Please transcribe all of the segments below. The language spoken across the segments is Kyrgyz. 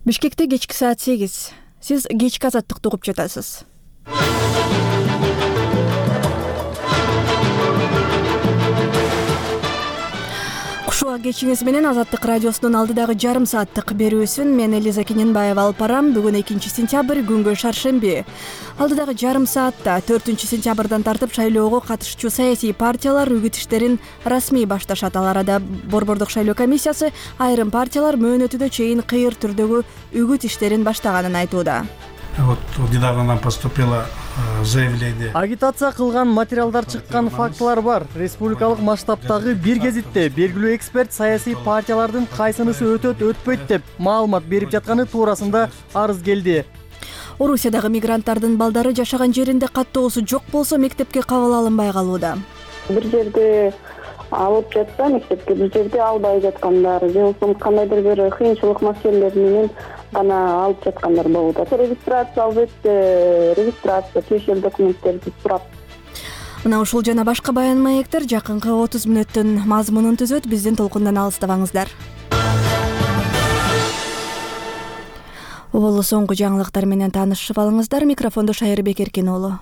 Бишкекте кечки саат 8. Сиз кечки азаттыкты угуп жатасыз. Кушуа кечиңиз менен Азаттык радиосунун алдыдагы жарым сааттык берүүсүн мен Элиза Кененбаева алып барам. Бүгүн 2-сентябрь, күнгө шаршемби. Алдыдагы жарым саатта 4-сентябрдан тартып шайлоого катышчу саясий партиялар үгүт иштерин расмий башташат. Ал арада Борбордук шайлоо комиссиясы айрым партиялар мөөнөтүнө чейин кыйыр түрдөгү үгүт иштерин баштаганын айтууда. Вот недавно нам поступило заявление. Агитация кылган материалдар чыккан фактылар бар. Республикалык масштабтагы бир гезитте белгилүү эксперт саясий партиялардын кайсынысы өтөт, өтпөйт деп маалымат берип жатканы туурасында арыз келди. Орусиядагы мигранттардын балдары жашаган жеринде каттоосу жок болсо мектепке кабыл алынбай калууда. Бир жерде алып жатса мектепке, бир жерде албай жаткандар, же болбосо кандайдыр бир кыйынчылык маселелер менен гана алып жаткандар болуп атат. Регистрация албайт, регистрация тиешелүү документтерди сурап. Мына ушул жана башка баян маектер жакынкы 30 мүнөттүн мазмунун түзөт. Биздин толкундан алыстабаңыздар. Оболу соңку жаңылыктар менен таанышып алыңыздар. Микрофондо Шайырбек Эркен уулу.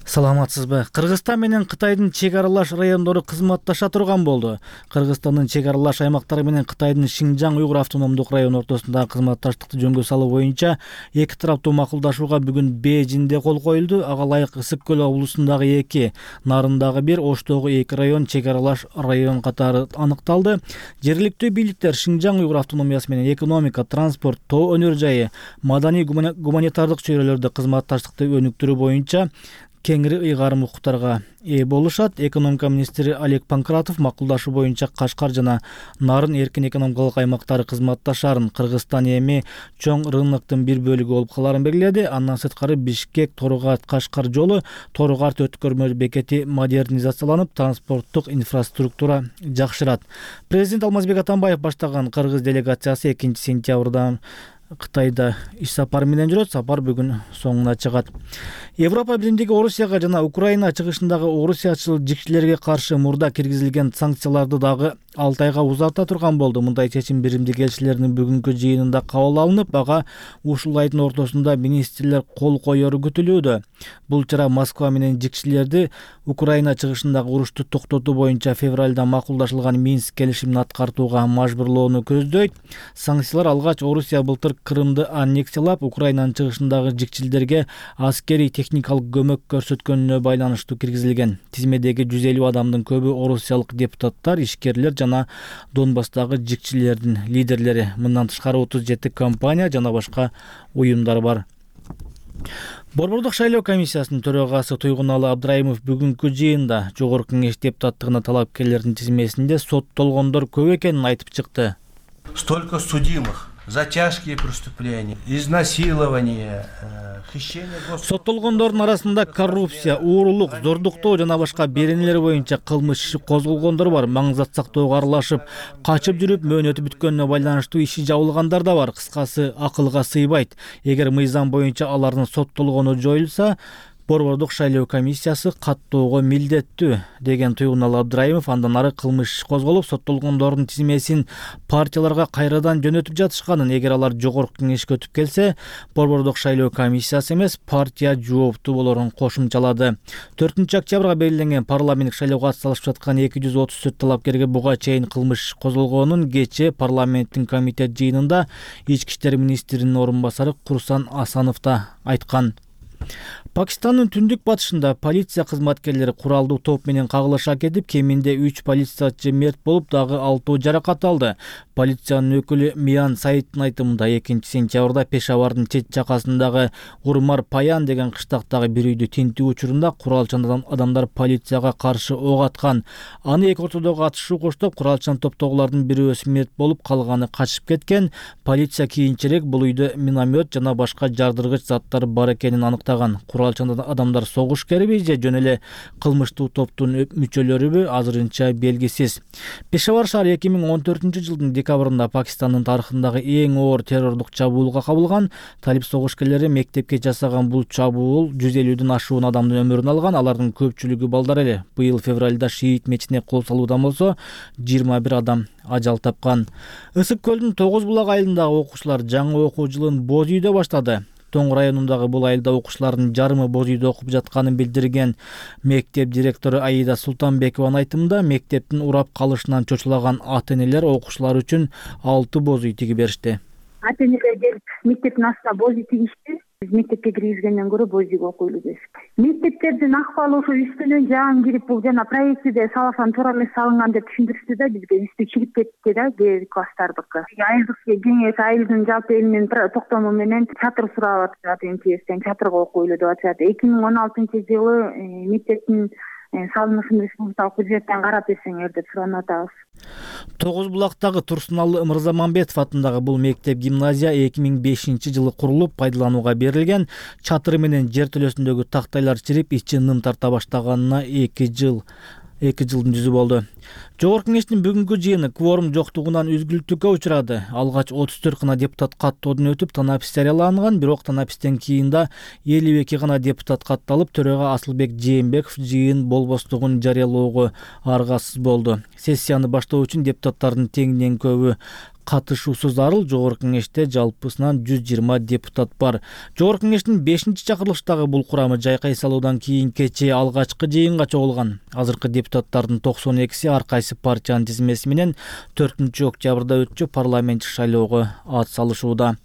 Саламатсызбы? Кыргызстан менен Кытайдын чек аралаш райондору кызматташа турган болду. Кыргызстандын чек аралаш аймактары менен Кытайдын Шинжаң Уйгур автономдук району ортосундагы кызматташтыкты жөнгө салуу боюнча эки тараптуу макулдашууга бүгүн Бээжинде кол коюлду. Ага ылайык Ысык көл облусундагы 2, Нарындагы 1, Оштогу 2 район чек аралаш район катары аныкталды. Жергиликтүү бийликтер Шинжаң Уйгур автономиясы менен экономика, транспорт, тоо өнөр жайы, маданий гуманитардык чөйрөлөрдө кызматташтыкты өнүктүрүү боюнча кеңири ыйгарым укуктарга ээ болушат. Экономика министри Олег Панкратов макулдашуу боюнча Кашкар жана Нарын эркин экономикалык аймактары кызматташарын, Кыргызстан эми чоң рыноктун бир бөлүгү болуп каларын белгиледи. Андан сырткары Бишкек Торугарт Кашкар жолу, Торугарт өткөрмө бекети модернизацияланып, транспорттук инфраструктура жакшырат. Президент Алмазбек Атамбаев баштаган кыргыз делегациясы 2-сентябрда Кытайда иш сапары менен жүрөт. Сапар бүгүн соңуна чыгат. Европа Биримдиги Орусияга жана Украина чыгышындагы орусиячыл жикчилерге каршы мурда киргизилген санкцияларды дагы 6 айга узарта турган болду. Мындай чечим Биримдик элчилеринин бүгүнкү жыйынында кабыл алынып, ага ушул айдын ортосунда министрлер кол коеру күтүлүүдө. Бул чара Москва менен жикчилерди Украина чыгышындагы урушту токтотуу боюнча февралда макулдашылган Минск келишимин аткартууга мажбурлоону көздөйт. Санкциялар алгач Орусия былтыр Крымды аннексиялап, Украинанын чыгышындагы жикчилдерге аскерий техникалык көмөк көрсөткөнүнө байланыштуу киргизилген. Тизмедеги 150 адамдын көбү орусиялык депутаттар, ишкерлер жана Донбасстагы жикчилердин лидерлери. Мындан тышкары 37 компания жана башка уюмдар бар. Борбордук шайлоо комиссиясынын төрагасы Туйгуналы Абдраимов бүгүнкү жыйында Жогорку Кеңеш депутаттыгына талапкерлердин тизмесинде соттолгондор көп экенин айтып чыкты. Столько судимых за тяжкие преступления, изнасилование, хищение государства. Соттолгондордун арасында коррупция, уурулук, зордуктоо жана башка беренелер боюнча кылмыш иши козголгондор бар. Маңызат сактоого аралашып, качып жүрүп мөөнөтү бүткөнүнө байланыштуу иши жабылгандар да бар. Кыскасы, акылга сыйбайт. Эгер мыйзам боюнча алардын соттолгону жоюлса, Борбордук шайлоо комиссиясы каттоого милдеттүү, деген Туйгуналы Абдраимов. Андан ары кылмыш козголуп, соттолгондордун тизмесин партияларга кайрадан жөнөтүп жатышканын, эгер алар Жогорку Кеңешке өтүп келсе, Борбордук шайлоо комиссиясы эмес, партия жооптуу болорун кошумчалады. 4-октябрга белгиленген парламенттик шайлоого атсалышып жаткан 234 талапкерге буга чейин кылмыш козголгонун кечээ парламенттин комитет жыйынында Ички иштер министринин орун басары Курсан Асанов да айткан. Пакистандын түндүк батышында полиция кызматкерлери куралдуу топ менен кагылыша кетип, кеминде 3 полициячы мерт болуп, дагы 6 жаракат алды. Полициянын өкүлү Миян Саидтин айтымында 2-сентябрда Пешавардын чет жакасындагы Урмар Паян деген кыштактагы бир үйдү тинтүү учурунда куралчан адамдар полицияга каршы ок аткан. Аны эки ортодогу атышуу коштоп, куралчан топтогулардын бирөөсү мерт болуп, калганы качып кеткен. Полиция кийинчерээк бул үйдө миномет жана башка жардыргыч заттар бар экенин аныктады. баштаган. Куралчан адамдар согушкериби же жөн эле кылмыштуу топтун мүчөлөрүбү азырынча белгисиз. Пешавар шаары 2014-жылдын декабрында Пакистандын тарыхындагы эң оор террорлук чабуулга кабылган. Талип согушкерлери мектепке жасаган бул чабуул 150ден ашуун адамдын өмүрүн алган. Алардын көпчүлүгү балдар эле. Быйыл февралда Шиит мечитине кол салуудан болсо 21 адам ажал тапкан. Ысык көлдүн 9 булак айылындагы окуучулар жаңы окуу жылын боз үйдө баштады. Тоң районундагы бул айылда окуучулардын жарымы боз үйдө окуп жатканын билдирген мектеп директору Аида Султанбекованын айтымында, мектептин урап калышынан чочулаган ата-энелер окуучулар үчүн 6 боз үй тигип беришти. Ата-энелер келип мектептин астына боз үй тигишти. Биз мектепке киргизгенден көрө боз үйгө окуйлу дешти. Мектептердин акыбалы ошо үстүнөн жаан кирип, бул жана проектиде салган туура эмес салынган деп түшүндүрүштү да, бизге үстү чыгып кетти да, кээ класстардыкы. Айылдык кеңеш айылдын жалпы элинин токтому менен чатыр сурап атышат, МЧСтен чатырга окуйлу деп атышат. 2016-жылы мектептин салынышын республикалык бюджеттен карап берсеңер деп суранып атабыз. 9 булактагы Турсуналы Мырзамамбетов атындагы бул мектеп гимназия 2005-жылы курулуп пайдаланууга берилген. Чатыры менен жер төлөсүндөгү тактайлар чирип, ичи ным тарта баштаганына 2 жылдын жүзү болду. Жогорку кеңештин бүгүнкү жыйыны кворум жоктугунан үзгүлтүккө учурады. Алгач 34 гана депутат каттоодон өтүп, танапис жарыяланган, бирок танапистен кийин да 52 гана депутат катталып, төрага Асылбек Жээнбеков жыйын болбостугун жарыялоого аргасыз болду. Сессияны баштоо үчүн депутаттардын теңден көбү катышуусу зарыл. Жогорку кеңеште жалпысынан 120 депутат бар. Жогорку кеңештин 5-чакырылыштагы бул курамы жайкай салуудан кийин кечээ алгачкы жыйынга чогулган. Азыркы депутаттардын 92-си ар кайсы партиянын тизмеси менен 4-октябрда өтчү парламенттик шайлоого ат салышууда.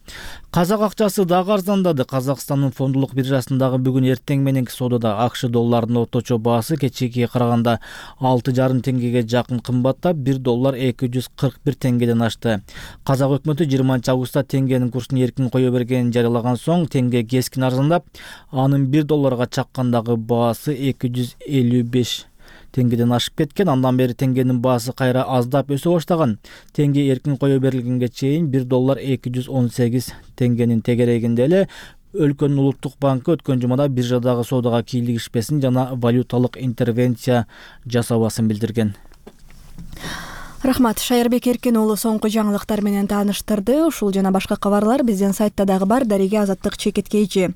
Казак акчасы дагы арзандады. Казакстандын фондулук биржасындагы бүгүн эртең мененки соодада АКШ долларынын орточо баасы кечээкиге караганда 6,5 теңгеге жакын кымбаттап, $1 241 теңгеден ашты. Казак өкмөтү 20-августта теңгенин курсун эркин кое бергенин жарыялаган соң, теңге кескин арзандап, анын $1 чаккандагы баасы 255 теңгеден ашып кеткен. Андан бери теңгенин баасы кайра аздап өсө баштаган. Теңге эркин кое берилгенге чейин $1 218 теңгенин тегерегинде эле. Өлкөнүн улуттук банкы өткөн жумада биржадагы соодага кийлигишпесин жана валюталык интервенция жасабасын билдирген. Рахмат, Шайырбек Эркен уулу соңку жаңылыктар менен тааныштырды. Ушул жана башка кабарлар биздин сайтта дагы бар. Дареге Азаттык чекиткейчи.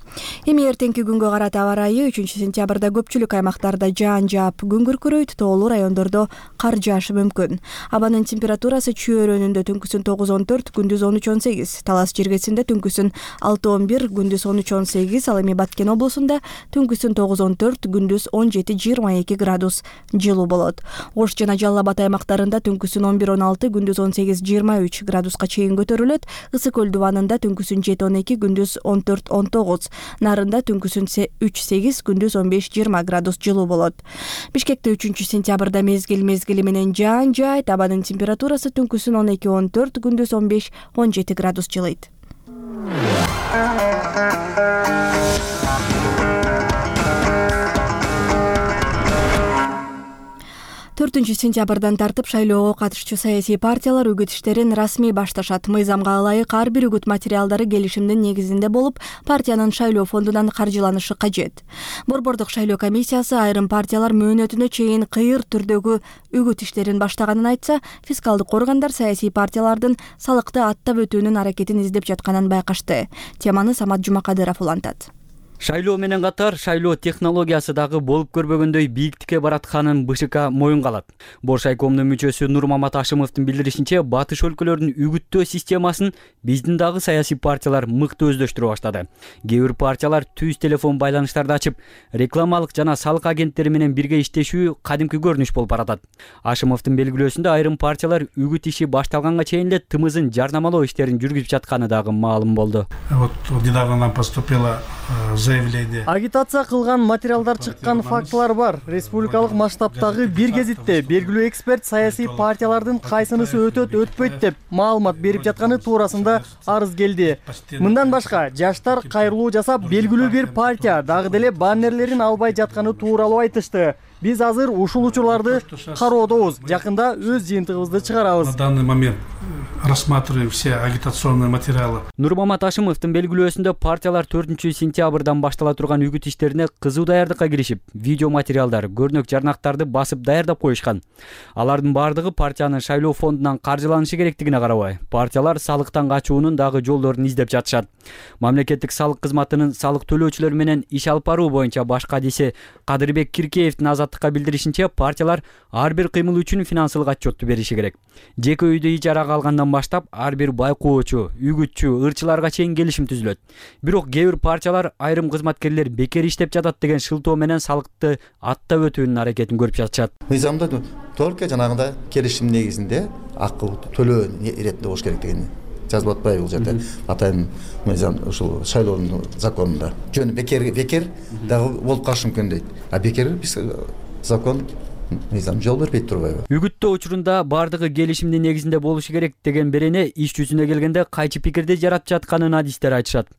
Эми эртеңки күнгө карата аба ырайы 3-сентябрда көпчүлүк аймактарда жаан жаап, күн күркүрөйт, тоолуу райондордо кар жаашы мүмкүн. Абанын температурасы Чүй өрөөнүндө түнкүсүн 9-14, күндүз 13-18, Талас жергесинде түнкүсүн 6-11, күндүз 13-18, ал эми Баткен облусунда түнкүсүн 9-14, күндүз 17-22 градус жылуу болот. Ош жана Жалал Абад аймактарында түнкүсүн 11-16, күндүз 18-23 градуска чейин көтөрүлөт. Ысык көл дубанында түнкүсүн 7-12, күндүз 14-19, Нарында түнкүсүн 3-8, күндүз 15-20 градус жылуу болот. Бишкекте 3-сентябрда мезгил менен жаан жаайт. Абанын температурасы түнкүсүн 12-14, күндүз 15-17 градус жылыйт. 4-сентябрдан тартып шайлоого катышчу саясий партиялар үгүт иштерин расмий башташат. Мыйзамга ылайык ар бир үгүт материалдары келишимдин негизинде болуп, партиянын шайлоо фондунан каржыланышы кажет. Борбордук шайлоо комиссиясы айрым партиялар мөөнөтүнө чейин кыйыр түрдөгү үгүт иштерин баштаганын айтса, фискалдык органдар саясий партиялардын салыкты аттап өтүүнүн аракетин издеп жатканын байкашты. Теманы Самат Жумакадыров улантат. Шайлоо менен катар шайлоо технологиясы дагы болуп көрбөгөндөй бийиктикке баратканын БШК моюнга алат. Боршайкомдун мүчөсү Нурмамат Ашымовдун билдиришинче, батыш өлкөлөрдүн үгүттөө системасын биздин дагы саясий партиялар мыкты өздөштүрө баштады. Кээ бир партиялар түз телефон байланыштарды ачып, рекламалык жана салык агенттери менен бирге иштешүү кадимки көрүнүш болуп баратат. Ашымовдун белгилөөсүндө айрым партиялар үгүт иши башталганга чейин эле тымызын жарнамалоо иштерин жүргүзүп жатканы дагы маалым болду. Вот недавно нам поступило заявление. Агитация кылган материалдар чыккан фактылар бар. Республикалык масштабтагы бир кезитте белгилүү эксперт саясий партиялардын кайсынысы өтөт, өтпөйт деп маалымат берип жатканы туурасында арыз келди. Мындан башка жаштар кайрылуу жасап, белгилүү бир партия дагы деле баннерлерин албай жатканы тууралуу айтышты. Биз азыр ушул учурларды кароодобуз. Жакында өз жыйынтыгыбызды чыгарабыз. На данный момент рассматриваем все агитационные материалы. Нурмамат Ашимовдун белгилөөсүндө партиялар 4-сентябрдан баштала турган үгүт иштерине кызуу даярдыкка киришип, видео материалдар, көрнөк жарнактарды басып даярдап коюшкан. Алардын бардыгы партиянын шайлоо фондунан каржыланышы керектигине карабай, партиялар салыктан качуунун дагы жолдорун издеп жатышат. Мамлекеттик салык кызматынын салык төлөөчүлөр менен иш алып баруу боюнча баш кадиси Кадырбек Киркеевдин Азаттыкка билдиришинче, партиялар ар бир кыймыл үчүн финансылык отчетту бериши керек. Жеке үйдү ижарага алгандан баштап ар бир байкоочу, үгүтчү, ырчыларга чейин келишим түзүлөт. Бирок кээ бир партиялар айрым кызматкерлер бекер иштеп жатат деген шылтоо менен салыкты аттап өтүүнүн аракетин көрүп жатышат. Мыйзамда только жанагындай келишим негизинде акы төлөө иретинде болуш керек деген жазылып атпайбы бул жерде? Атайын мыйзам ушул шайлоонун законунда. Жөн бекер дагы болуп калышы мүмкүн дейт. А бекер биз закон мыйзам жол бербейт турбайбы? Үгүттөө учурунда бардыгы келишимдин негизинде болушу керек деген берене иш жүзүнө келгенде кайчы пикирди жаратып жатканын адистер айтышат.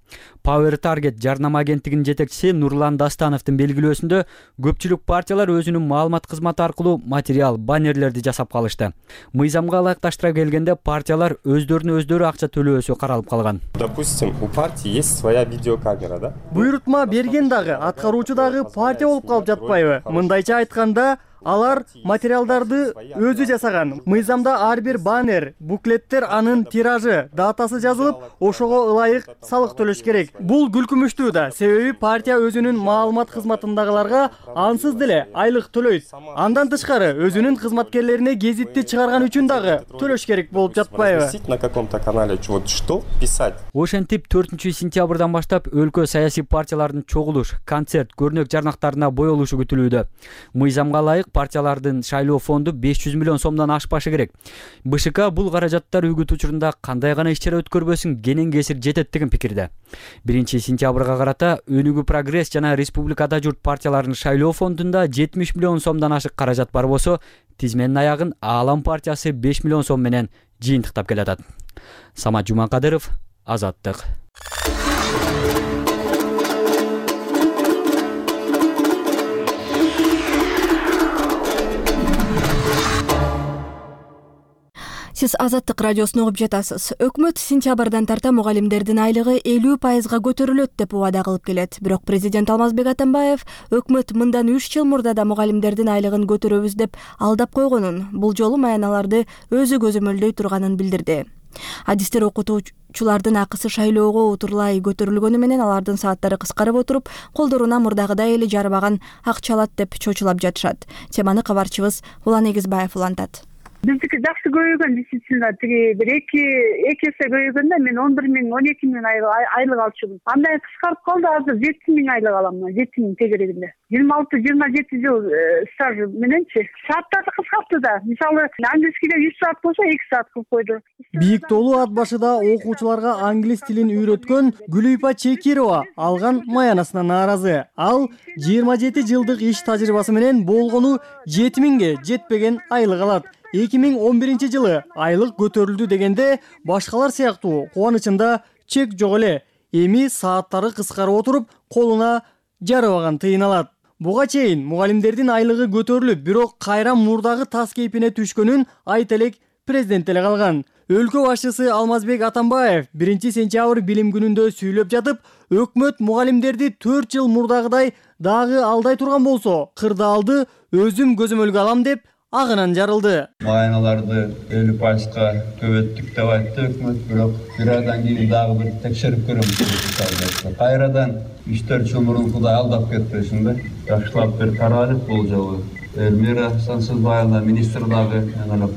Power Target жарнама агенттигинин жетекчиси Нурлан Дастановдун белгилөөсүндө көпчүлүк партиялар өзүнүн маалымат кызматы аркылуу материал, баннерлерди жасап калышты. Мыйзамга ылайыкташтыра келгенде партиялар өздөрүнө өздөрү акча төлөөсү каралып калган. Допустим, у партии есть своя видеокамера, да? Буйрутма берген дагы, аткаруучу дагы партия болуп калып жатпайбы? Мындайча айтканда, алар материалдарды өзү жасаган. Мыйзамда ар бир баннер, буклеттер анын тиражы, датасы жазылып, ошого ылайык салык төлөш керек. Бул күлкүмүштүү да, себеби партия өзүнүн маалымат кызматындагыларга ансыз деле айлык төлөйт. Андан тышкары өзүнүн кызматкерлерине гезитти чыгарган үчүн дагы төлөш керек болуп жатпайбы? На каком-то канале вот что писать. Ошентип 4-сентябрдан баштап өлкө саясий партиялардын чогулуш, концерт, көрнөк жарнактарына боелушу күтүлүүдө. Мыйзамга ылайык партиялардын шайлоо фонду 500 миллион сомдон ашпашы керек. БШК бул каражаттар үгүт учурунда кандай гана иш-чара өткөрбөсүн кенен кесир жетет деген пикирде. 1-сентябрга карата Өнүгүү Прогресс жана Республикада журт партияларынын шайлоо фондунда 70 миллион сомдон ашык каражат бар болсо, тизменин аягын Аалам партиясы 5 миллион сом менен жыйынтыктап келатат. Самат Жумакадыров, Азаттык. Сиз Азаттык радиосун угуп жатасыз. Өкмөт сентябрдан тарта мугалимдердин айлыгы 50% көтөрүлөт деп убада кылып келет. Бирок президент Алмазбек Атамбаев өкмөт мындан 3 жыл мурда да мугалимдердин айлыгын көтөрөбүз деп алдап койгонун, бул жолу маяналарды өзү көзөмөлдөй турганын билдирди. Адистер окутуучулардын акысы шайлоого утурлай көтөрүлгөнү менен алардын сааттары кыскарып отуруп, колдоруна мурдагыдай эле жарбаган акча алат деп чочулап жатышат. Теманы кабарчыбыз Улан Эгизбаев улантат. Биздики жакшы көбөйгөн, действительно, тиги бир эки эсе көбөйгөндө мен 11 миң, 12 миң айлык алчумун. Андан кыскарып калды, азыр 7 миң айлык алам, 7 миң тегерегинде. 26-27 жыл стаж мененчи. Сааттарды кыскартты да. Мисалы, англискиде 100 саат болсо 2 саат кылып койду. Бийиктоолу ат башыда окуучуларга англис тилин үйрөткөн Гүлүйпа Чекирова алган маянасына нааразы. Ал 27 жылдык иш тажрыйбасы менен болгону 7 миңге жетпеген айлык алат. 2011 жылы айлык көтөрүлдү дегенде башкалар сыяктуу кубанычында чек жок эле. Эми сааттары кыскарып отуруп, колуна жарабаган тыйын алат. Буга чейин мугалимдердин айлыгы көтөрүлүп, бирок кайра мурдагы тас кейпине түшкөнүн айта элек президент эле калган. Өлкө башчысы Алмазбек Атамбаев 1-сентябрь билим күнүндө сүйлөп жатып, өкмөт мугалимдерди 4 жыл мурдагыдай дагы алдай турган болсо, кырдаалды өзүм көзөмөлгө алам деп агынан жарылды. Маяналарды 50%га көбөттүк деп айтты өкмөт, бирок бир айдан кийин дагы бир текшерип көрөм. Кайрадан 3-4 жыл мурункудай алдап кетпесин да. Жакшылап бир каралып бул жолу. Элмира Сансызбаевна министр дагы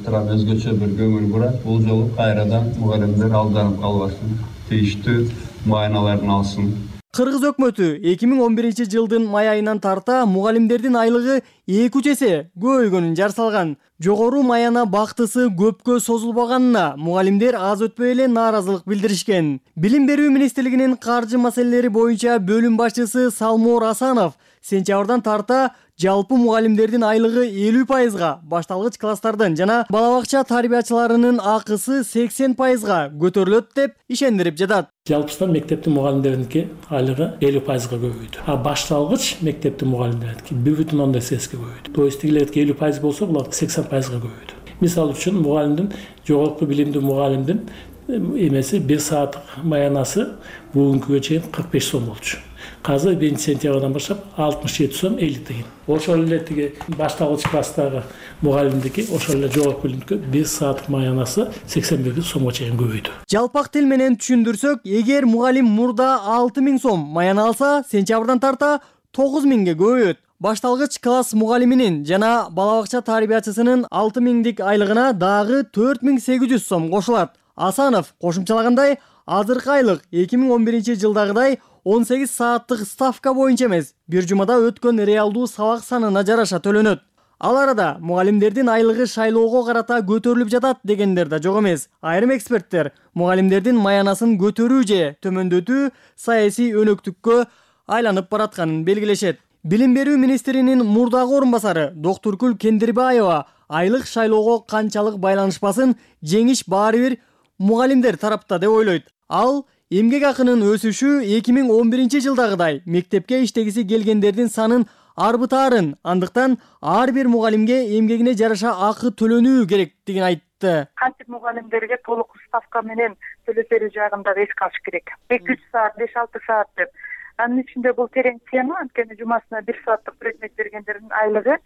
туран өзгөчө бир көңүл бурат. Бул жолу кайрадан мугалимдер алданып калбасын, тийиштүү маяналарын алсын. Кыргыз өкмөтү 2011 жылдын май айынан тарта мугалимдердин айлыгы 2 эсе көбөйгөнүн жар салган. Жогору маяна бактысы көпкө созулбаганына мугалимдер аз өтпөй эле нааразылык билдиришкен. Билим берүү министрлигинин каржы маселелери боюнча бөлүм башчысы Салмор Асанов сентябрдан тарта Жалпы мугалимдердин айлыгы 50%, башталгыч класстардын жана бала бакча тарбиячыларынын акысы 80%га көтөрүлөт деп ишендирип жатат. Жалпысынан мектептин мугалимдериники айлыгы 50%га көбөйдү. А башталгыч мектептин мугалимдериники 1,8-га көбөйдү. То есть тигилердики 50% болсо булар 80%га көбөйдү. Мисал үчүн мугалимдин жогорку билимдүү мугалимдин эмеси 1 сааттык маянасы бүгүнкүгө чейин 45 сом болчу. Казыр 1-сентябрдан баштап 67 сом 50 тиген. Ошол эле тиги башталгыч класстагы мугалимдики ошол эле жогорку билимдүү 1 сааттык маянасы 81 сомго чейин көбөйдү. Жалпак тил менен түшүндүрсөк, эгер мугалим мурда 6000 сом маяна алса, сентябрдан тарта 9000ге көбөйөт. Башталгыч класс мугалиминин жана бала бакча тарбиячысынын 6000дик айлыгына дагы 4800 сом кошулат. Асанов кошумчалагандай, азыркы айлык 2011-жылдагыдай 18 сааттык ставка боюнча эмес, бир жумада өткөн реалдуу сабак санына жараша төлөнөт. Ал арада мугалимдердин айлыгы шайлоого карата көтөрүлүп жатат дегендер да жок эмес. Айрым эксперттер мугалимдердин маянасын көтөрүү же төмөндөтүү саясий өнөктүккө айланып баратканын белгилешет. Билим берүү министринин мурдагы орун басары Доктуркүл Кендирбаева айлык шайлоого канчалык байланышпасын, жеңиш баары бир мугалимдер тарапта деп ойлойт. Ал эмгек акынын өсүшү 2011-жылдагыдай мектепке иштегиси келгендердин санын арбытаарын, андыктан ар бир мугалимге эмгегине жараша акы төлөнүү керектигин айтты. Кантип мугалимдерге толук ставка менен төлөсөрү жагын да эске алыш керек. 2-3 саат, 5-6 саат деп. Анын ичинде бул терең тема, анткени жумасына 1 сааттык предмет бергендердин айлыгы,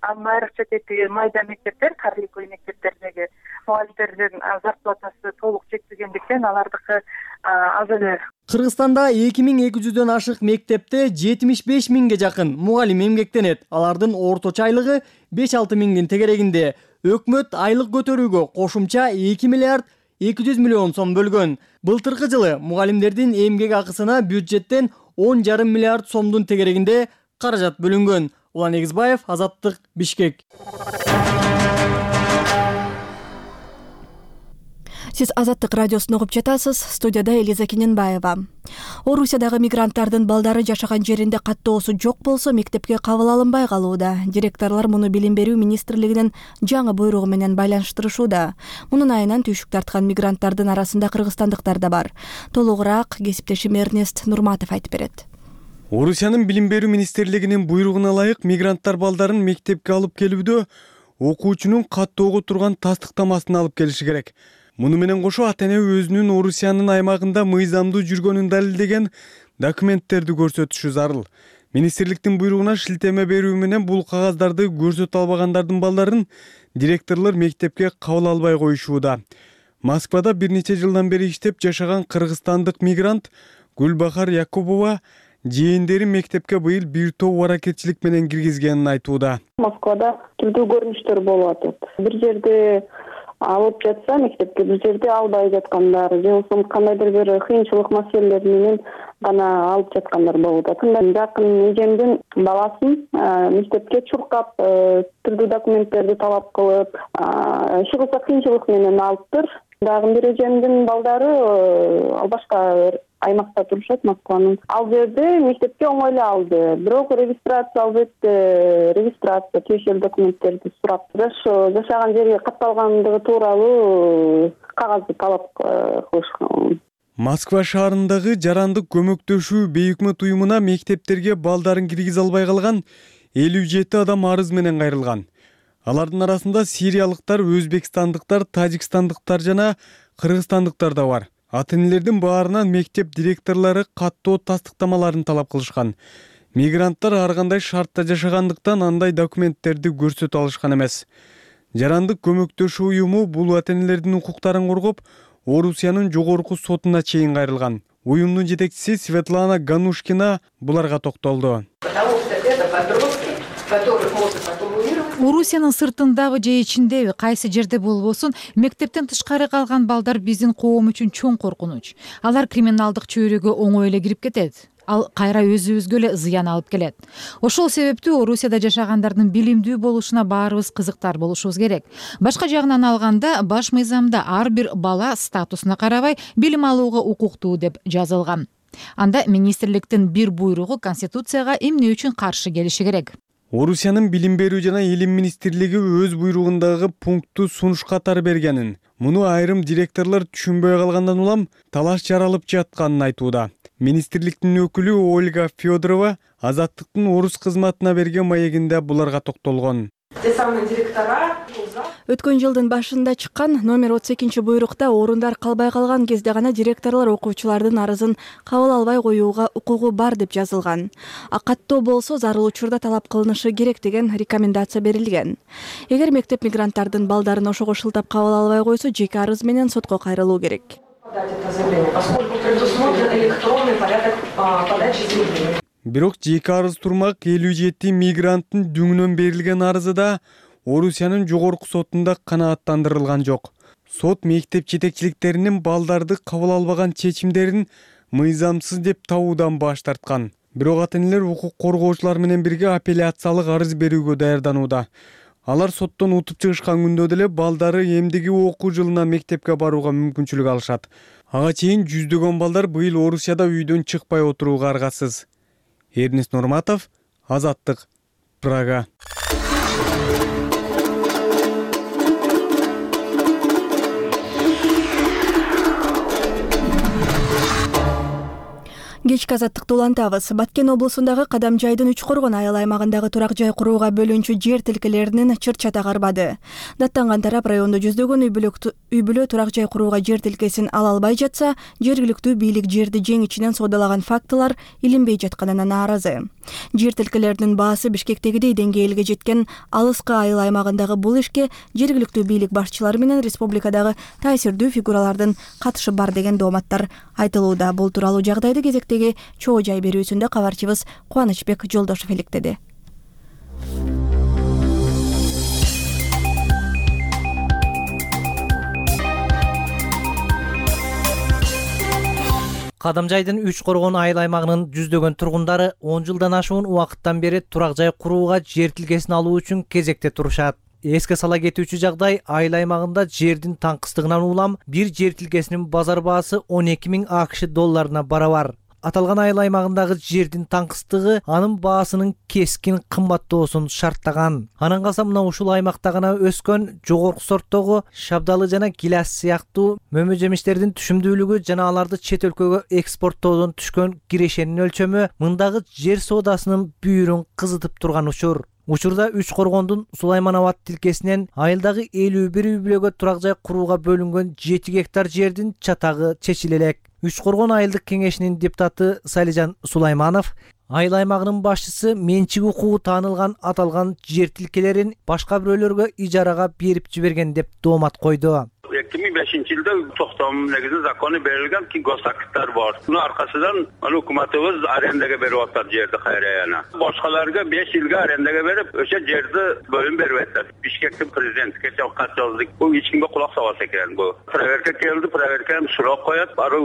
айрыкча тетиги майда мектептер, карликовый мектептердеги мугалимдердин зарплатасы толук жетпегендиктен алардыкы аз эле. Кыргызстанда 2200дөн ашык мектепте 75 миңге жакын мугалим эмгектенет. Алардын орточо айлыгы 5-6 миңдин тегерегинде. Өкмөт айлык көтөрүүгө кошумча 2 миллиард 200 миллион сом бөлгөн. Былтыркы жылы мугалимдердин эмгек акысына бюджеттен 10,5 миллиард сомдун тегерегинде каражат бөлүнгөн. Улан Эгизбаев, Азаттык, Бишкек. Сиз Азаттык радиосун угуп жатасыз. Студияда Элиза Кененбаева. Орусиядагы мигранттардын балдары жашаган жеринде каттоосу жок болсо, мектепке кабыл алынбай калууда. Директорлор муну Билим берүү министрлигинин жаңы буйругу менен байланыштырышууда. Мунун айынан түйшүк тарткан мигранттардын арасында кыргызстандыктар да бар. Толугураак кесиптешим Эрнест Нурматов айтып берет. Орусиянын Билим берүү министрлигинин буйругуна ылайык мигранттар балдарын мектепке алып келүүдө окуучунун каттоого турган тастыктамасын алып келиши керек. Муну менен кошо ата-эне өзүнүн Орусиянын аймагында мыйзамдуу жүргөнүн далилдеген документтерди көрсөтүшү зарыл. Министрликтин буйругуна шилтеме берүү менен бул кагаздарды көрсөтө албагандардын балдарын директорлор мектепке кабыл албай коюшууда. Москвада бир нече жылдан бери иштеп жашаган кыргызстандык мигрант Гүлбахар Якубова жээндери мектепке быйыл бир топ аракетчилик менен киргизгенин айтууда. Москвада түрдүү көрүнүштөр болуп атат. Бир жерде алып жатса мектепке, бир жерде албай жаткандар, же болбосо кандайдыр бир кыйынчылык маселелер менен гана алып жаткандар болуп атат. Жакын эжемдин баласын мектепке чуркап, түрдүү документтерди талап кылып, иши кыйынчылык менен алыптыр. Дагы бир эжемдин балдары ал башка аймакта турушат, Москванын. Ал жерде мектепке оңой эле алды. Бирок регистрация алып этти, регистрация тиешелүү документтерди сурап, жашаган жери катталгандыгы тууралуу кагазды талап кылышкан. Москва шаарындагы жарандык көмөктөшүү бейөкмөт уюмуна мектептерге балдарын киргизе албай калган 57 адам арыз менен кайрылган. Алардын арасында сириялыктар, өзбекстандыктар, тажикстандыктар жана кыргызстандыктар да бар. Ата-энелердин баарынан мектеп директорлору каттоо тастыктамаларын талап кылышкан. Мигранттар ар кандай шартта жашагандыктан андай документтерди көрсөтө алышкан эмес. Жарандык көмөктөшүү уюму бул ата-энелердин укуктарын коргоп, Орусиянын жогорку сотуна чейин кайрылган. Уюмдун жетекчиси Светлана Ганушкина буларга токтолду. Орусиянын сыртындагы же ичиндеби кайсы жерде болбосун, мектептен тышкары калган балдар биздин коом үчүн чоң коркунуч. Алар криминалдык чөйрөгө оңой эле кирип кетет. Ал кайра өзүбүзгө эле зыян алып келет. Ошол себептүү Орусияда жашагандардын билимдүү болушуна баарыбыз кызыктар болушубуз керек. Башка жагынан алганда, баш мыйзамда ар бир бала статусуна карабай билим алууга укуктуу деп жазылган. Анда министрликтин бир буйругу Конституцияга эмне үчүн каршы келиши керек? Орусиянын билим берүү жана илим министрлиги өз буйругундагы пунктту сунуш катары бергенин, муну айрым директорлор түшүнбөй калгандан улам талаш жаралып жатканын айтууда. Министрликтин өкүлү Ольга Федорова Азаттыктын орус кызматына берген маегинде буларга токтолгон. Өткөн жылдын башында чыккан номер 32 буйрукта орундар калбай калган кезде гана директорлор окуучулардын арызын кабыл албай коюуга укугу бар деп жазылган. Каттоо болсо зарыл учурда талап кылынышы керек деген рекомендация берилген. Эгер мектеп мигранттардын балдарын ошого шылтап кабыл албай койсо, жеке арыз менен сотко кайрылуу керек. Бирок жеке арыз турмак 57 мигранттын дүңүнөн берилген арызы да Орусиянын жогорку сотунда канааттандырылган жок. Сот мектеп жетекчиликтеринин балдарды кабыл албаган чечимдерин мыйзамсыз деп табуудан баш тарткан. Бирок ата-энелер укук коргоочулар менен бирге апелляциялык арыз берүүгө даярданууда. Алар соттон утуп чыгышкан күндө деле балдары эмдиги окуу жылына мектепке барууга мүмкүнчүлүк алышат. Ага чейин жүздөгөн балдар быйыл Орусияда үйдөн чыкпай отурууга аргасыз. Эрнест Нурматов, Азаттык, Прага. Кечки азаттыкты улантабыз. Баткен облусундагы Кадамжайдын Үч Коргон айыл аймагындагы турак жай курууга бөлүнчү жер тилкелеринин чыр-чата карбады. Даттанган тарап райондо жүздөгөн үй бүлө турак жай курууга жер тилкесин ала албай жатса, жергиликтүү бийлик жерди жең ичинен соодалаган фактылар илинбей жатканына нааразы. Жер тилкелеринин баасы Бишкектегидей деңгээлге жеткен алыскы айыл аймагындагы бул ишке жергиликтүү бийлик башчылары менен республикадагы таасирдүү фигуралардын катышы бар деген дооматтар айтылууда. Бул тууралуу жагдайды кезектеги чоо жай берүүсүндө кабарчыбыз Кубанычбек Жолдошов иликтеди. Кадамжайдын Үч Коргон айыл аймагынын жүздөгөн тургундары 10 жылдан ашуун убакыттан бери турак жай курууга жер тилкесин алуу үчүн кезекте турушат. Эске сала кетүүчү жагдай, айыл аймагында жердин таңкыстыгынан улам бир жер тилкесинин базар баасы 12.000 АКШ долларына барабар. Аталган айыл аймагындагы жердин таңкыстыгы анын баасынын кескин кымбаттоосун шарттаган. Анан калса мына ушул аймакта гана өскөн жогорку сорттогу шабдалы жана гиляс сыяктуу мөмө жемиштердин түшүмдүүлүгү жана аларды чет өлкөгө экспорттоодон түшкөн кирешенин өлчөмү мындагы жер соодасынын бүйүрүн кызытып турган учур. Учурда Үч Коргондун Сулайманабад тилкесинен айылдагы 51 үй бүлөгө турак жай курууга бөлүнгөн 7 гектар жердин чатагы чечиле элек. Үч Коргон айылдык кеңешинин депутаты Салижан Сулайманов айыл аймагынын башчысы менчик укугу таанылган аталган жер тилкелерин башка бирөөлөргө ижарага берип жиберген деп доомат койду. 2005-жылда токтом негизинде закону берилген ки госактар бар. Мунун аркасынан өкмөтүбүз арендага берип атат жерди кайра. Башкаларга 5 жылга арендага берип, өшө жерди бөлүм берип атат. Бишкектин президенти кече кат жаздык. Бул ичинге кулак салбаса экен бу. Проверка келди, проверканы сурап коет, ары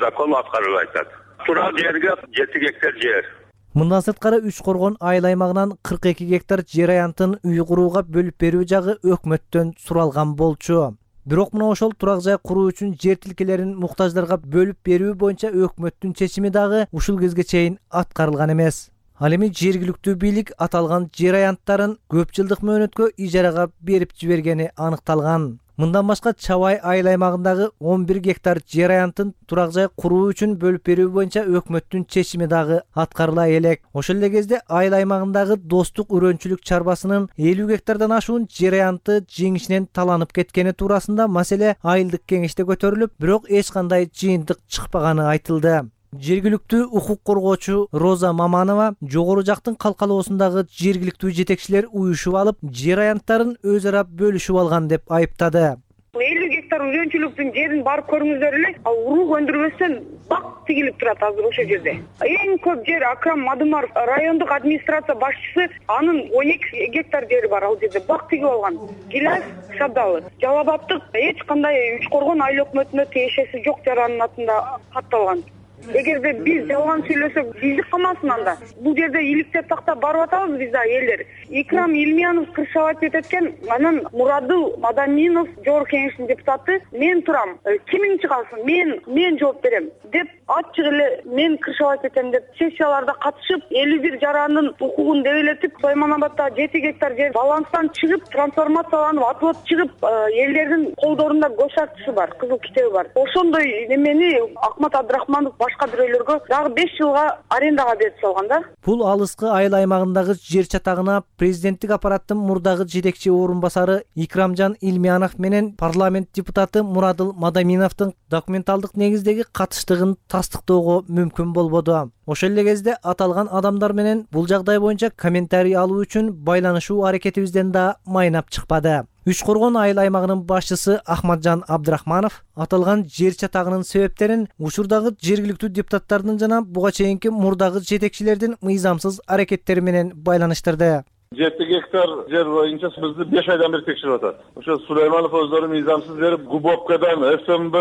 закон аткарылып атат. Турак жерге 7 гектар жер. Мындан сырткары Үч Коргон айыл аймагынан 42 гектар жер аянтын үй курууга бөлүп берүү жагы өкмөттөн суралган болчу. Бирок мына ошол турак жай куруу үчүн жер тилкелерин муктаждарга бөлүп берүү боюнча өкмөттүн чечими дагы ушул кезге чейин аткарылган эмес. Ал эми жергиликтүү бийлик аталган жер аянттарын көп жылдык мөөнөткө ижарага берип жибергени аныкталган. Мындан башка Чабай айыл аймагындагы 11 гектар жер аянтын турак жай куруу үчүн бөлүп берүү боюнча өкмөттүн чечими дагы аткарыла элек. Ошол эле кезде айыл аймагындагы Достук үрөнчүлүк чарбасынын 50 гектардан ашуун жер аянты жеңишинен таланып кеткени туурасында маселе айылдык кеңеште көтөрүлүп, бирок эч кандай жыйынтык чыкпаганы айтылды. Жергиликтүү укук коргоочу Роза Маманова жогору жактын калкалоосундагы жергиликтүү жетекчилер уюшуп алып, жер аянттарын өз ара бөлүшүп алган деп айыптады. 50 гектар үрөнчүлүктүн жерин барып көрүңүздөр эле, ал урук өндүрбөстөн бак тигилип турат азыр ошол жерде. Эң көп жер Акрам Мадымаров райондук администрация башчысы, анын 12 гектар жери бар ал жерде бак тигип алган. Гиляс Шабдалы. Жалал абадтык эч кандай Үч Коргон айыл өкмөтүнө тиешеси жок жаранын атында катталган. Эгерде биз жалган сүйлөсөк, биздик калмасын анда. Бул жерде иликтеп тактап барып атабыз биз да элдер. Икрам Илмиянов кыршабат экен, анан Мурадыл Мадаминов жогорку кеңештин депутаты мен турам. Кимиң чыгасың? Мен жооп берем деп ачык эле мен кыршабат этем деп сессияларда катышып, 51 жарандын укугун дебелетип, Сойманабадда 7 гектар жер баланстан чыгып, трансформацияланып, атылып чыгып, элдердин колдорунда көч актысы бар, кызыл китеби бар. Ошондой немени Акмат Абдрахманов башка бирөөлөргө дагы 5 жылга арендага берип салган да. Бул алыскы айыл аймагындагы жер чатагына президенттик аппараттын мурдагы жетекчи орун басары Икрамжан Илмиянов менен парламент депутаты Мурадыл Мадаминовдун документалдык негиздеги катыштыгын тастыктоого мүмкүн болбоду. Ошол эле кезде аталган адамдар менен бул жагдай боюнча комментарий алуу үчүн байланышуу аракетибизден да майнап чыкпады. Үч Коргон айыл аймагынын башчысы Ахматжан Абдрахманов аталган жер чатагынын себептерин учурдагы жергиликтүү депутаттардын жана буга чейинки мурдагы жетекчилердин мыйзамсыз аракеттери менен байланыштырды. 7 гектар жер боюнча бизди 5 айдан бери текшерип атат. Ошо Сулайманов өздөрү мыйзамсыз берип, ГУБОПКдан, ФМБ,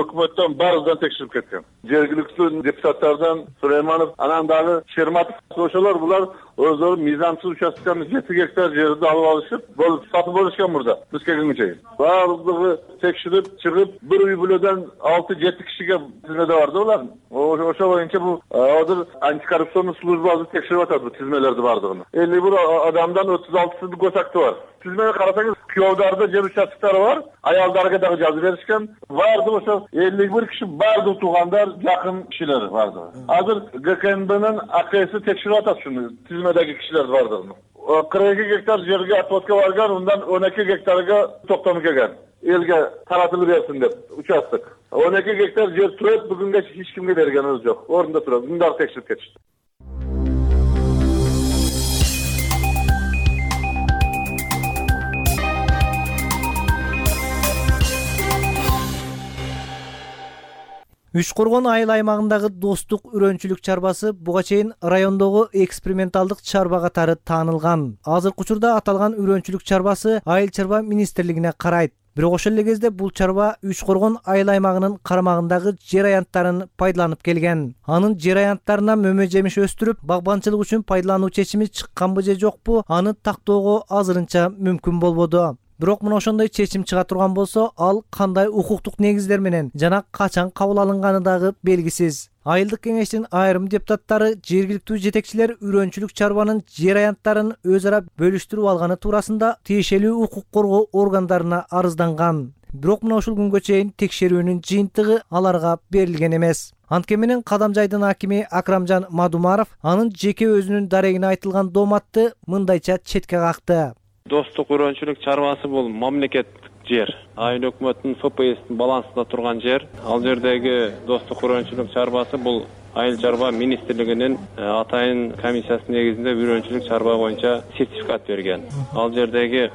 өкмөттөн баарыдан текшерип кеткен. Жергиликтүү депутаттардан Сулайманов, анан дагы Шерматов, ошолор булар өздөрү мыйзамсыз участканы 7 гектар жерди алып алышып, сатып алышкан мурда. Биз келгенге чейин. Баардыгы текшерип чыгып, бир үй бүлөдөн 6-7 кишиге тизмеде барды булар. Ошо боюнча бул азыр антикоррупционный службасы текшерип атат бул тизмелерди баардыгын. 51 адамдан 36 көч акты бар. Тизмеге карасаңыз, күйөөдөрдө жер участкалары бар, аялдарга дагы жазып беришкен. Баардыгы ошо 51 киши баардыгы туугандар, жакын кишилер баардыгы. Азыр ГКНБнын АКСи текшерип атат шуну, тизмедеги кишилерди баардыгын. 42 гектар жерге отводка барган, ундан 12 гектарга токтом келген. Элге таратылып берсин деп участок. 12 гектар жер турат, бүгүнкү эч кимге бергенибиз жок. Орунда турат. Мындай текшерип кетишти. Үч Коргон айыл аймагындагы достук үрөнчүлүк чарбасы буга чейин райондогу эксперименталдык чарба катары таанылган. Азыркы учурда аталган үрөнчүлүк чарбасы Айыл чарба министрлигине карайт. Бирок ошол эле кезде бул чарба Үч Коргон айыл аймагынын карамагындагы жер аянттарын пайдаланып келген. Анын жер аянттарына мөмө жемиш өстүрүп, багбанчылык үчүн пайдалануу чечими чыкканбы же жокпу, аны тактоого азырынча мүмкүн болбоду. Бирок мына ошондой чечим чыга турган болсо, ал кандай укуктук негиздер менен жана качан кабыл алынганы дагы белгисиз. Айылдык кеңештин айрым депутаттары жергиликтүү жетекчилер үрөнчүлүк чарбанын жер аянттарын өз ара бөлүштүрүп алганы туурасында тиешелүү укук коргоо органдарына арызданган. Бирок мына ушул күнгө чейин текшерүүнүн жыйынтыгы аларга берилген эмес. Анткени менен Кадамжайдын акими Акрамжан Мадумаров анын жеке өзүнүн дарегине айтылган дооматты мындайча четке какты. Достук үрөнчүлүк чарбасы бул мамлекеттик жер. Айыл өкмөттүн ФПСтин балансында турган жер. Ал жердеги достук үрөнчүлүк чарбасы бул Айыл чарба министрлигинин атайын комиссиясынын негизинде үрөнчүлүк чарба боюнча сертификат берген. Ал жердеги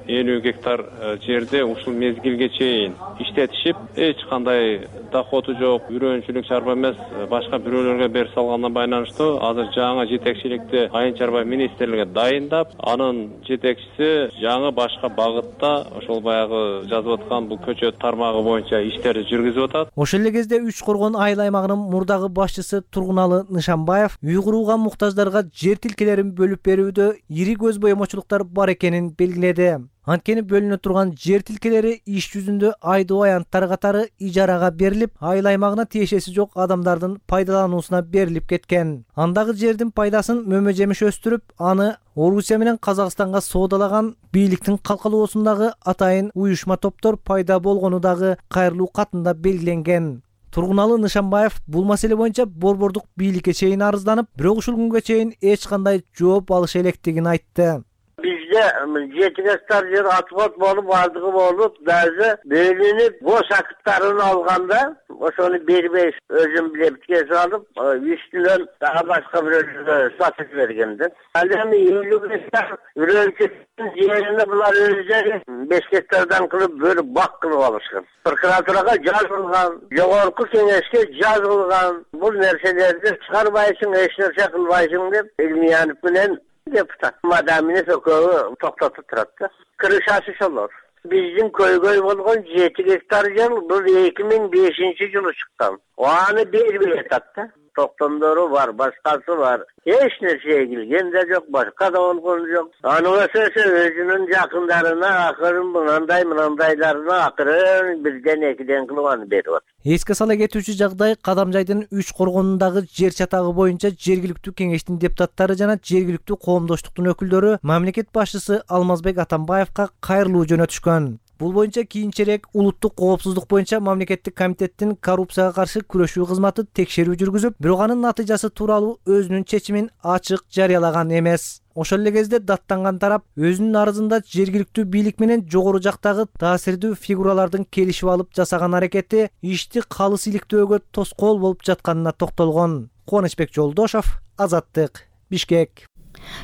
50 гектар жерде ушул мезгилге чейин иштетишип, эч кандай доходу жок, үрөнчүлүк чарба эмес, башка бирөөлөргө берип салганына байланыштуу азыр жаңы жетекчиликти Айыл чарба министрлиги дайындап, анын жетекчиси жаңы башка багытта ошол баягы жазып аткан бул көчөт тармагы боюнча иштерди жүргүзүп атат. Ошол эле кезде Үч Коргон айыл аймагынын мурдагы башчысы Тургуналы Нышанбаев үй курууга муктаждарга жер тилкелерин бөлүп берүүдө ири көз боемочулуктар бар экенин белгиледи. Анткени бөлүнө турган жер тилкелери иш жүзүндө айдоо аянттар катары ижарага берилип, айыл аймагына тиешеси жок адамдардын пайдалануусуна берилип кеткен. Андагы жердин пайдасын мөмө жемиш өстүрүп, аны Орусия менен Казакстанга соодалаган бийликтин калкалоосундагы атайын уюшма топтор пайда болгону дагы кайрылуу катында белгиленген. Тургуналы Нышанбаев бул маселе боюнча борбордук бийликке чейин арызданып, бирок ушул күнгө чейин эч кандай жооп алыша электигин айтты. Бизде 7 гектар жер отвод болуп, бардыгы болуп, даже бөлүнүп, бош акыттарын алганда, ошону бербей өзүм билеп кесип алып, үстүнөн дагы башка бирөөлөргө сатып бергенди. Ал эми 50 гектар үрөнчүлүктүн жерине булар өзүлөрү 5 гектардан кылып бөлүп бак кылып алышкан. Прокуратурага жазылган, жогорку кеңешке жазылган, бул нерселерди чыгарбайсың, эч нерсе кылбайсың деп Илмиянов менен депутат Мадаминов экөө токтотуп турат да. Крышасы шолор. Биздин көйгөй болгон 7 гектар жер бул 2005-жылы чыккан. Аны бербей атат да. Токтомдору бар, башкасы бар. Эч нерсе эгилген да жок, башка да болгон жок. Анысы өзүнүн жакындарына акырын мынандайларына акырын бирден экиден кылып аны берип атат. Эске сала кетүүчү жагдай Кадамжайдын 3 коргонундагы жер чатагы боюнча жергиликтүү кеңештин депутаттары жана жергиликтүү коомдоштуктун өкүлдөрү мамлекет башчысы Алмазбек Атамбаевка кайрылуу жөнөтүшкөн. Бул боюнча кийинчерээк улуттук коопсуздук боюнча мамлекеттик комитеттин коррупцияга каршы күрөшүү кызматы текшерүү жүргүзүп, бирок анын натыйжасы тууралуу өзүнүн чечимин ачык жарыялаган эмес. Ошол эле кезде даттанган тарап өзүнүн арызында жергиликтүү бийлик менен жогору жактагы таасирдүү фигуралардын келишип алып жасаган аракети ишти калыс иликтөөгө тоскоол болуп жатканына токтолгон. Кубанычбек Жолдошов, Азаттык, Бишкек.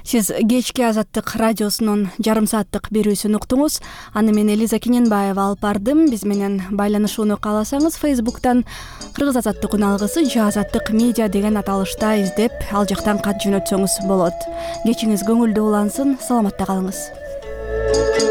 Сиз кечки Азаттык радиосунун жарым сааттык берүүсүн уктуңуз. Аны мен Элиза Кененбаева алып бардым. Биз менен байланышууну кааласаңыз Facebook'тан Кыргыз Азаттык үналгысы же Азаттык медиа деген аталышта издеп, ал жактан кат жөнөтсөңүз болот. Кечиңиз көңүлдүү улансын, саламатта калыңыз.